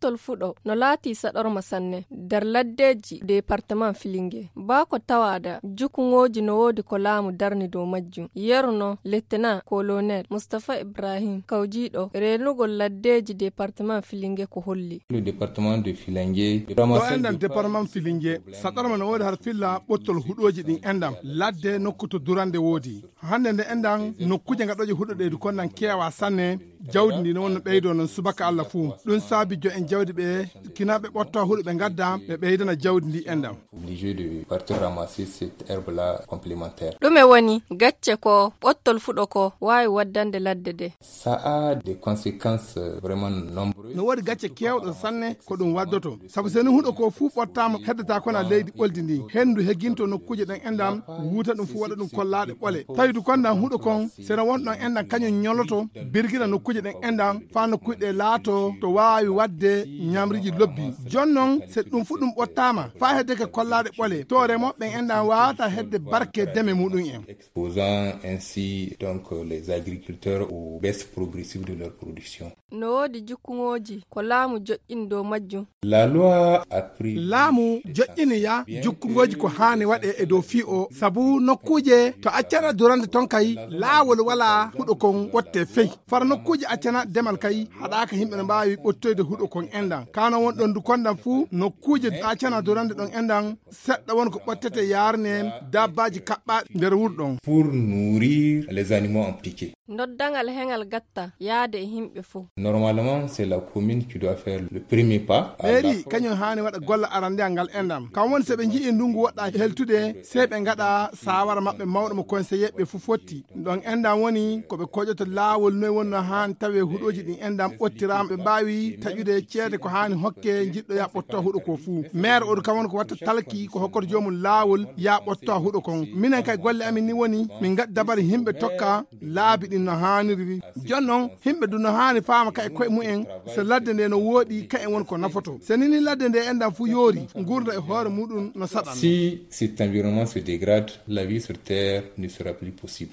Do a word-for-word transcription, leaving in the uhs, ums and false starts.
ɓottol fuɗo no laatii saɗorma sanne nder laddeeji departement Filinge. Baa ko tawaada, jukkuŋooji no woodi ko laamu darni dow majjum. Yeru no Lieutenant Colonel Mustapha Ibrahim, kawjiiɗo reenugol laddeeji departement Filinge ko holli. Le département de Filingue. Ɗo enɗan département Filinge, saɗorma no woodi har filla ɓottol huɗooji ɗin enɗan. Ladde nokku to durande woodi. Hannde nde enɗan nokkuuje ngaɗooje huɗo ɗe du konnan keewa sanne. Jawdi ndi no wonno ɓeydo non subaka Alla fuu. Ɗum saabi jo en jawdi ɓe kinaaɓe ɓotto huɗo ɓe ngadda ɓe ɓeydana jawdi ndi enɗan. Obligé de partir ramasser cette herbe-là complémentaire. Ɗume woni gacce ko ɓottol fuɗo ko waawi waddande ladde de? Ça a des conséquences, euh, vraiment nombreuses. No woodi gacce keewɗo sanne ko ɗum waddoto. Sabu so ni huɗo ko fuu ɓottaama, heddata kono leydi ɓoldi ndi. Henndu heginto nokkuuje ɗen enɗan, wuuta ɗum fuu waɗa ɗum kollaaɗe ɓole. Tawi du konnan huɗo kon, seno won ɗon enɗan kañum ñoloto, birgira nokkuuje ɗen enɗan, faa nokkuuje ɗe laato to waawi waɗde ñamriiji lobbi. Jon non, so ɗum fuu ɗum ɓottaama, faa hedde ke kollaaɗe ɓole, to remooɓe ɓen enɗan waawata hedde barke deme muɗum en. Exposant ainsi donc les agriculteurs aux baisses progressives de leur production. No woodi jukkuŋooji ko laamu joƴƴini dow majjum. La loi a pris. Laamu joƴƴini ya jukkuŋooji ko haani waɗe e dow fii o, sabu nokkuuje to accana durande ton kay laawol walaa huɗo kon ɓotte fey. Fara nokkuuje accana demal kay haɗaaka yimɓe no mbaawi ɓottoyde huɗo kon enɗan. Kano won ɗon du kondan fuu nokkuuje accana durande ɗon enɗan seɗɗa won ko ɓottete yaarne dabbaaji kaɓɓaaɗi nder wuro ɗon. Pour nourrir les animaux en piquet. Noddangal heŋal gatta yaade e yimɓe fuu. Normalement, c'est la commune qui doit faire le premier pas. Mairie kañum haani waɗa golle arandeyal ngal enɗan. Kam woni so ɓe nji'i ndungu woɗɗa heltude, sey ɓe ngaɗa saawara maɓɓe mawɗo mo conseiller ɓe fuu fotti. Ɗon enɗan woni ko ɓe koƴoto laawol noy wonno haani tawe huɗooji ɗin enɗan ɓottiraama ɓe mbaawi taƴude ceede ko haani hokke jiɗɗo ya ɓotto huɗo ko fuu. Maire oɗo kam woni ko watta talki ko hokkoto joomum laawol ya ɓotto huɗo kon. Minen kay golle amin ni woni min ngaɗi dabari yimɓe tokka laabi ɗin no haaniri. Jon non, yimɓe du no haani faama ka e koye mumen, so ladde nde no wooɗi, ka en woni ko nafoto. So nini ladde nde enɗan fuu yoori, ngurnda e hoore muɗum no saɗan. Si cet environnement se dégrade, la vie sur terre ne sera plus possible.